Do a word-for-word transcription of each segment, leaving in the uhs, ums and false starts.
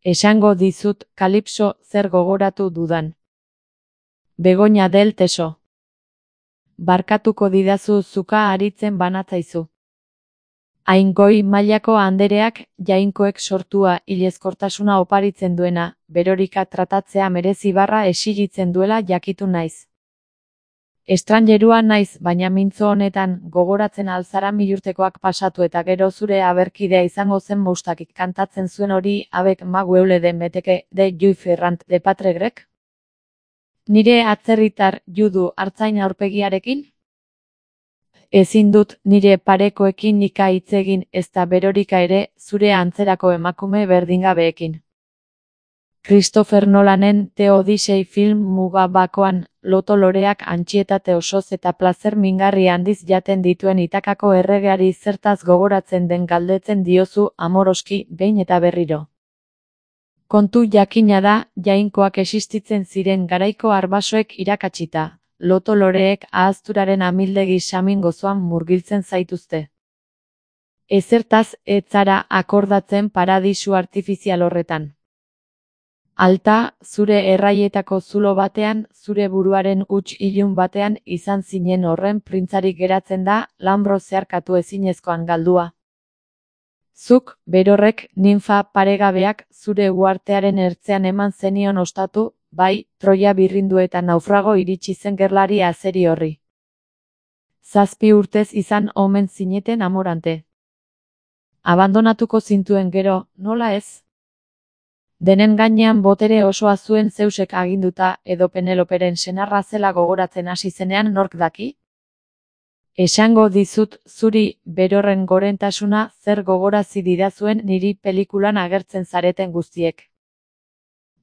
Esango dizut Kalipso zer gogoratu dudan. Begoña del Teso. Barkatuko didazu zuka aritzen banatzaizu. Hain goi mailako andereak jainkoek sortua hilezkortasuna oparitzen duena, berorika tratatzea merezi barra exigitzen duela jakitu naiz. Estrangerua naiz, baina mintzo honetan gogoratzen alzara milurtekoak pasatu eta gero zure aberkidea izango zen moustakik kantatzen zuen hori abek magueule de meteke de Juif Ferrant de Patregrek? Nire atzerritar judu artzain aurpegiarekin? Ezin dut nire parekoekin nika hitz egin ezta berorika ere zure antzerako emakume berdingabeekin. Christopher Nolanen The Odyssey film muga bakoan, loto loreak antxietate osoz eta plazer mingarri handiz jaten dituen Itakako erregeari zertaz gogoratzen den galdetzen diozu amoroski behin eta berriro. Kontu jakina da, jainkoak existitzen ziren garaiko arbasoek irakatsita, loto loreek ahazturaren amildegi samin gozoan murgiltzen zaituzte. Ezertaz ez zara akordatzen paradisu artifizial horretan. Alta, zure erraietako zulo batean, zure buruaren huts ilun batean izan zinen horren printzarik geratzen da, lanbro zeharkatu ezinezkoan galdua. Zuk, berorrek, ninfa paregabeak, zure uartearen ertzean eman zenion ostatu, bai, Troia birrindu eta naufrago iritsi zen gerlari azeri horri. Zazpi urtez izan omen zineten amorante. Abandonatuko zintuen gero, nola ez? Denen gainean botere osoa zuen Zeusek aginduta edo Peneloperen senarra zela gogoratzen hasi zenean nork daki? Esango dizut zuri berorren gorentasuna zer gogorazi didazuen niri pelikulan agertzen zareten guztiek.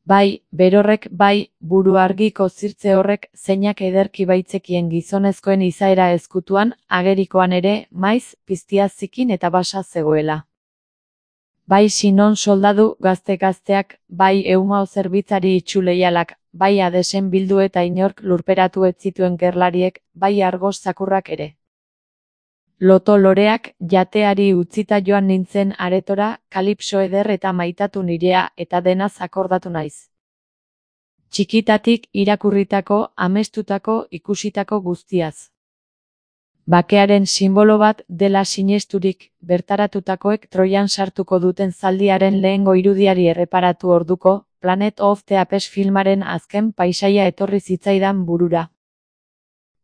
Bai, berorrek bai, buru argiko zirtze horrek zeinak ederki baitzekien gizonezkoen izaera ezkutuan, agerikoan ere, maiz, piztia zikin eta basa zegoela. Bai Sinon soldadu gazte-gazteak, bai Eumao zerbitzari itxuleialak, bai Hadesen bildu eta inork lurperatu ez zituen gerlariek, bai Argos zakurrak ere. Loto loreak jateari utzita joan nintzen aretora, Kalipso eder eta maitatu nirea eta denaz akordatu naiz. Txikitatik irakurritako, amestutako, ikusitako guztiaz. Bakearen sinbolo bat dela sinesturik, bertaratutakoek Troian sartuko duten zaldiaren lehengo irudiari erreparatu orduko, Planet of the Apes filmaren azken paisaia etorri zitzaidan burura.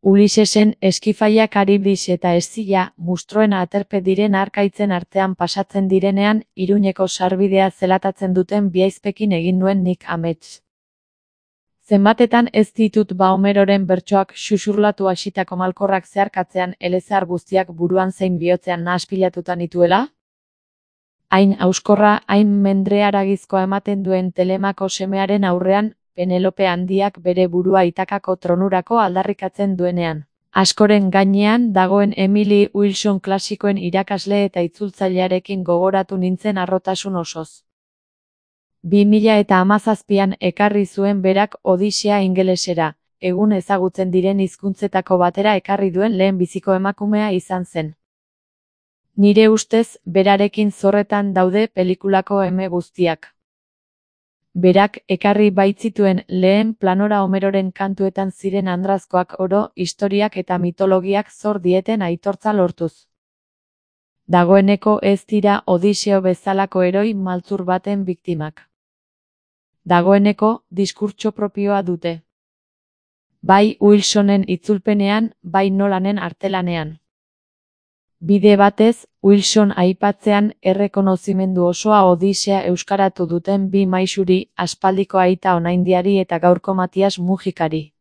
Ulisesen eskifaia Karibdis eta Eszila, mustroen aterpe diren arkaitzen artean pasatzen direnean, Iruñeko sarbidea zelatatzen duten biaizpekin egin nuen nik amets. Zenbatetan ez ditut ba Homeroren bertsoak xuxurlatu hasitako malkorrak zeharkatzean elezar guztiak buruan zein bihotzean nahaspilatuta nituela? Hain auskorra, hain mendrearagizkoa ematen duen Telemako semearen aurrean, Penelope handiak bere burua Itakako tronurako aldarrikatzen duenean. Askoren gainean dagoen Emily Wilson klasikoen irakasle eta itzultzailearekin gogoratu nintzen harrotasun osoz. Bi mila eta hamazazpian ekarri zuen berak Odisea ingelesera, egun ezagutzen diren hizkuntzetako batera ekarri duen lehen biziko emakumea izan zen. Nire ustez, berarekin zorretan daude pelikulako eme guztiak. Berak ekarri baitzituen lehen planora Homeroren kantuetan ziren andrazkoak oro, historiak eta mitologiak zor dieten aitortza lortuz. Dagoeneko ez dira Odiseo bezalako heroi maltzur baten biktimak. Dagoeneko diskurtso propioa dute. Bai Wilsonen itzulpenean, bai Nolanen artelanean. Bide batez, Wilson aipatzean errekonozimendu osoa Odisea euskaratu duten bi maisuri, aspaldiko aita Onaindiari eta gaurko Matias Mujikari.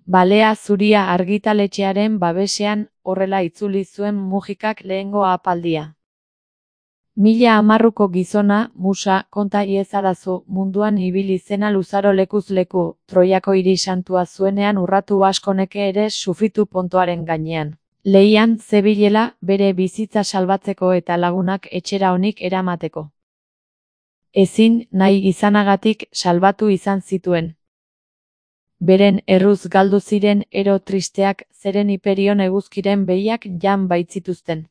Balea zuria argitaletxearen babesean, horrela itzuli zuen Mujikak lehengo apaldia. Mila hamarruko gizona, musa, konta iezadazu, munduan ibili zena luzaro lekuz leku, Troiako hiri santua zuenean urratu askoneke ere sufritu pontoaren gainean. Leian zebilela bere bizitza salbatzeko eta lagunak etxera onik eramateko. Ezin nahi izanagatik salbatu izan zituen. Beren erruz galdu ziren ero tristeak zeren Hiperion eguzkiren behiak jan baitzituzten.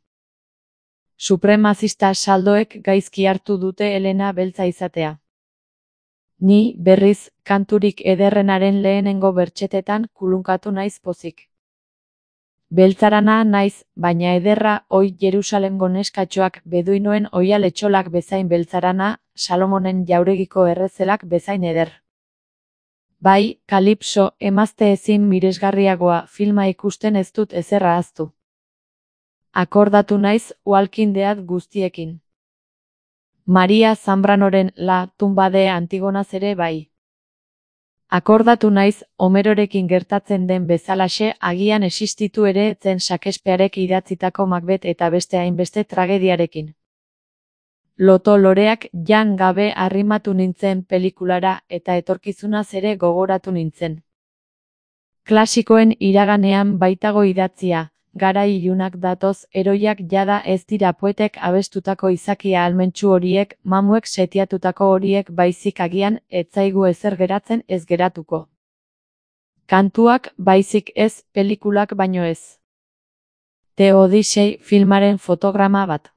Supremazista saldoek gaizki hartu dute Elena beltza izatea. Ni, berriz, kanturik ederrenaren lehenengo bertxetetan kulunkatu naiz pozik. Beltzarana naiz, baina ederra, oi Jerusalemgo neskatxoak beduinoen oial etxolak bezain beltzarana, Salomonen jauregiko errezelak bezain eder. Bai, Kalipso, emazte ezin miresgarriagoa filma ikusten ez dut ezer ahaztu. Akordatu naiz Walking Dead guztiekin. Maria Zambranoren La tumba de Antigonaz ere bai. Akordatu naiz Homerorekin gertatzen den bezalaxe agian existitu ere etzen Shakespearek idatzitako Macbeth eta beste hainbeste tragediarekin. Loto loreak jan gabe arrimatu nintzen pelikulara eta etorkizunaz ere gogoratu nintzen. Klasikoen iraganean baitago idatzia, garai ilunak datoz, eroiak jada ez dira poetek abestutako izakia ahalmentsu horiek, mamuek setiatutako horiek baizik agian, ez zaigu ezer geratzen ez geratuko. Kantuak baizik ez, pelikulak baino ez. The Odyssey filmaren fotograma bat.